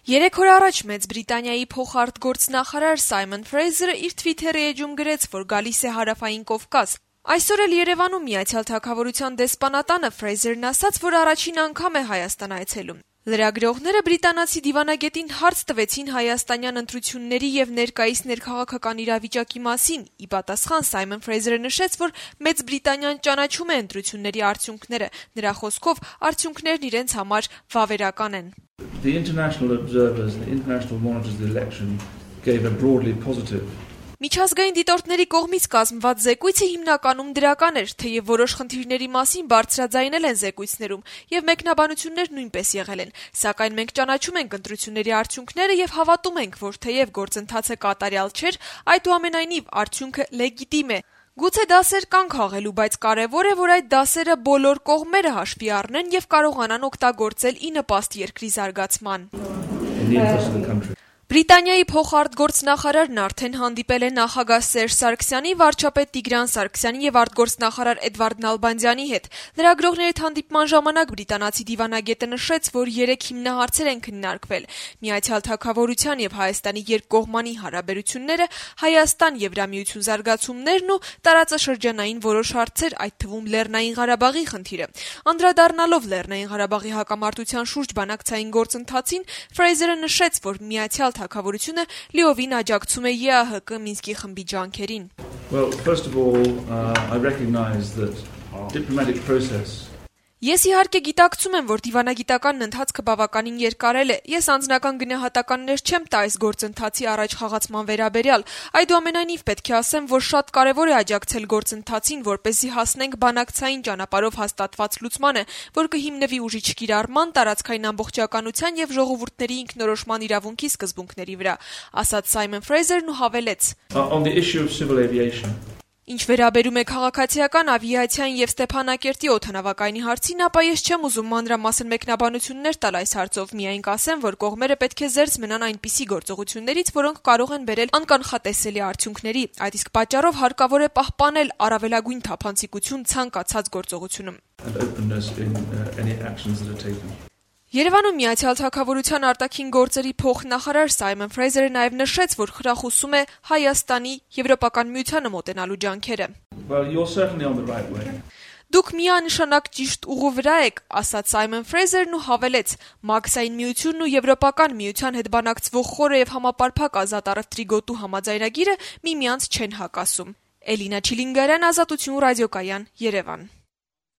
3 օր առաջ Մեծ Բրիտանիայի փոխարտգործնախարար Սայմոն Ֆրեյզերը իր Թվիթերի էջում գրեց, որ գալիս է Հարավային Կովկաս։ Այսօր էլ Երևանում Միացյալ Թագավորության դեսպանատանը Ֆրեյզերն ասաց, որ առաջին անգամ է Հայաստան այցելում։ Լրագրողները բրիտանացի դիվանագետին հարց տվեցին հայաստանյան ընտրությունների եւ ներկայիս ներքաղաքական իրավիճակի մասին։ Ի պատասխան Սայմոն Ֆրեյզերը նշեց, որ Մեծ Բրիտանիան ճանաչում է ընտրությունների արդյունքները։ Նրա խոսքով արդյունքներն իրենց համար վավերական են։ The international observers, the international monitors of the election gave a broadly positive. Միջազգային դիտորդների կողմից կազմված զեկույցը հիմնականում դրական էր, թեև որոշ խնդիրների մասին բարձրաձայնել են զեկույցներում, եւ մեկնաբանություններ նույնպես եղել են, սակայն մենք ճանաչում ենք ընտրությունների արդյունքները եւ հավատում ենք, որ թեև գործընթացը կատարյալ չէր, այդուամենայնիվ արդյունքը լեգիտիմ է։ Գուցե դասեր կան քաղելու, բայց կարևոր է, որ այդ դասերը բոլոր կողմերը հաշվի առնեն եւ կարողանան օգտագործել ի նպաստ երկրի զարգացման։ Բրիտանիայի փոխարտգործնախարարն արդեն հանդիպել է նախագահ Սերժ Սարգսյանի, վարչապետ Տիգրան Սարգսյանի եւ արտգործնախարար Էդվարդ Նալբանդյանի հետ։ Լրագրողների հետ հանդիպման ժամանակ բրիտանացի դիվանագետը նշեց, որ 3 հիմնահարցեր են քննարկվել՝ Միացյալ Թագավորության եւ Հայաստանի երկկողմանի հարաբերությունները, Հայաստան-Եվրամիություն զարգացումներն ու տարածաշրջանային որոշ հարցեր, այդ թվում Լեռնային Ղարաբաղի խնդիրը։ Անդրադառնալով Լեռնային Ղարաբաղի հակամարտության շուրջ բանակցային գործընթացին, Ֆրեյզերը նշեց, որ Միացյալ Թագավորությունը լիովին աջակցում է ԵԱՀԿ Մինսկի խմբի ջանքերին։ Well, first of all, I recognize that diplomatic process. Ես իհարկե գիտակցում եմ, որ դիվանագիտական ընթացքը բավականին երկարել է։ Ես անձնական գնահատականներ չեմ տա այս գործընթացի առաջ խաղացման վերաբերյալ։ Այդուամենայնիվ պետք է ասեմ, որ շատ կարևոր է աջակցել գործընթացին, որպեսզի հասնենք բանակցային ճանապարհով հաստատված լուծմանը, որ կհիմնվի ուժի չկիրառման, տարածքային ամբողջականության եւ ժողովուրդների ինքնորոշման իրավունքի սկզբունքների վրա, ասաց Սայմոն Ֆրեյզերն ու հավելեց. On the issue of civil aviation. Ինչ վերաբերում է քաղաքացիական ավիացիային եւ Ստեփանակերտի օդանավակայանի հարցին, ապա ես չեմ ուզում մանրամասն մեկնաբանություններ տալ այս հարցով, միայն կասեմ, որ կողմերը պետք է զերծ մնան այնպիսի գործողություններից, որոնք կարող են բերել անկանխատեսելի արդյունքների։ Այդ իսկ պատճառով հարկավոր է պահպանել առավելագույն թափանցիկություն ցանկացած գործողությունում։ Երևանում Միացյալ Թագավորության արտաքին գործերի փոխնախարար Սայմոն Ֆրեյզերը նաև նշեց, որ խրախուսում է Հայաստանի Եվրոպական միությանը մոտենալու ջանքերը։ Well, you're certainly on the right way. Դուք միանշանակ ճիշտ ուղու վրա եք, ասաց Սայմոն Ֆրեյզերն ու հավելեց. Մաքսային միությունն ու Եվրոպական միության հետ բանակցվող խորը եւ համապարփակ ազատ առևտրի գոտու համաձայնագիրը միմյանց չեն հակասում։ Էլինա Չիլինգարյան, Ազատություն ռադիոկայան, Երևան։